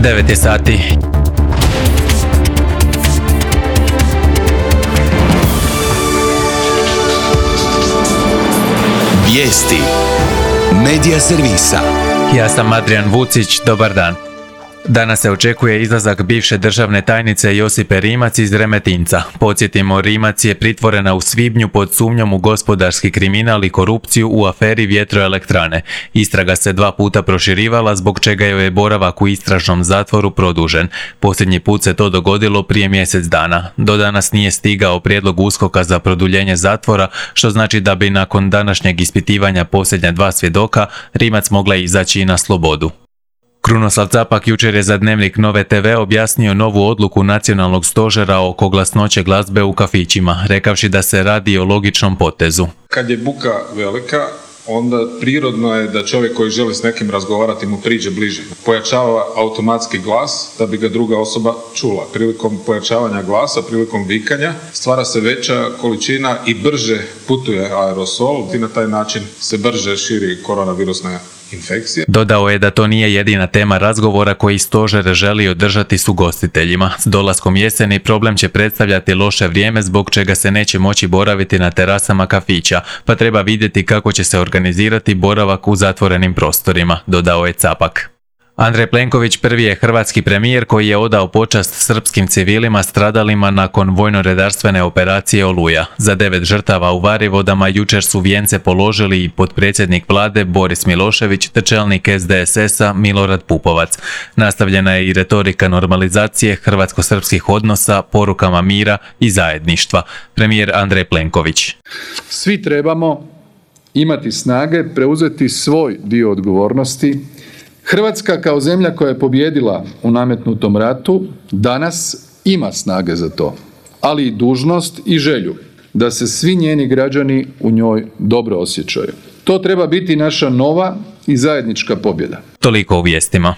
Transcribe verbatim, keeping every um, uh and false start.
devet je sati. Vijesti Medija servisa. Ja sam Adrian Vucić, dobar dan. Danas se očekuje izlazak bivše državne tajnice Josipe Rimac iz Remetinca. Podsjetimo, Rimac je pritvorena u svibnju pod sumnjom u gospodarski kriminal i korupciju u aferi vjetroelektrane. Istraga se dva puta proširivala, zbog čega joj je boravak u istražnom zatvoru produžen. Posljednji put se to dogodilo prije mjesec dana. Do danas nije stigao prijedlog USKOK-a za produljenje zatvora, što znači da bi nakon današnjeg ispitivanja posljednja dva svjedoka Rimac mogla izaći i na slobodu. Krunoslav Capak jučer je za Dnevnik Nove te ve objasnio novu odluku nacionalnog stožera oko glasnoće glazbe u kafićima, rekavši da se radi o logičnom potezu. Kad je buka velika, onda prirodno je da čovjek koji želi s nekim razgovarati mu priđe bliže. Pojačava automatski glas da bi ga druga osoba čula. Prilikom pojačavanja glasa, prilikom vikanja, stvara se veća količina i brže putuje aerosol i na taj način se brže širi koronavirusna infekcija. Dodao je da to nije jedina tema razgovora koji stožer želi održati s ugostiteljima. S dolaskom jeseni problem će predstavljati loše vrijeme, zbog čega se neće moći boraviti na terasama kafića, pa treba vidjeti kako će se organizirati boravak u zatvorenim prostorima, dodao je Capak. Andrej Plenković prvi je hrvatski premijer koji je odao počast srpskim civilima stradalima nakon vojno-redarstvene operacije Oluja. Za devet žrtava u Varivodama jučer su vijence položili i potpredsjednik vlade Boris Milošević te čelnik es de es es-a Milorad Pupovac. Nastavljena je i retorika normalizacije hrvatsko-srpskih odnosa, porukama mira i zajedništva. Premijer Andrej Plenković. Svi trebamo imati snage preuzeti svoj dio odgovornosti. Hrvatska kao zemlja koja je pobijedila u nametnutom ratu danas ima snage za to, ali i dužnost i želju da se svi njeni građani u njoj dobro osjećaju. To treba biti naša nova i zajednička pobjeda. Toliko u vijestima.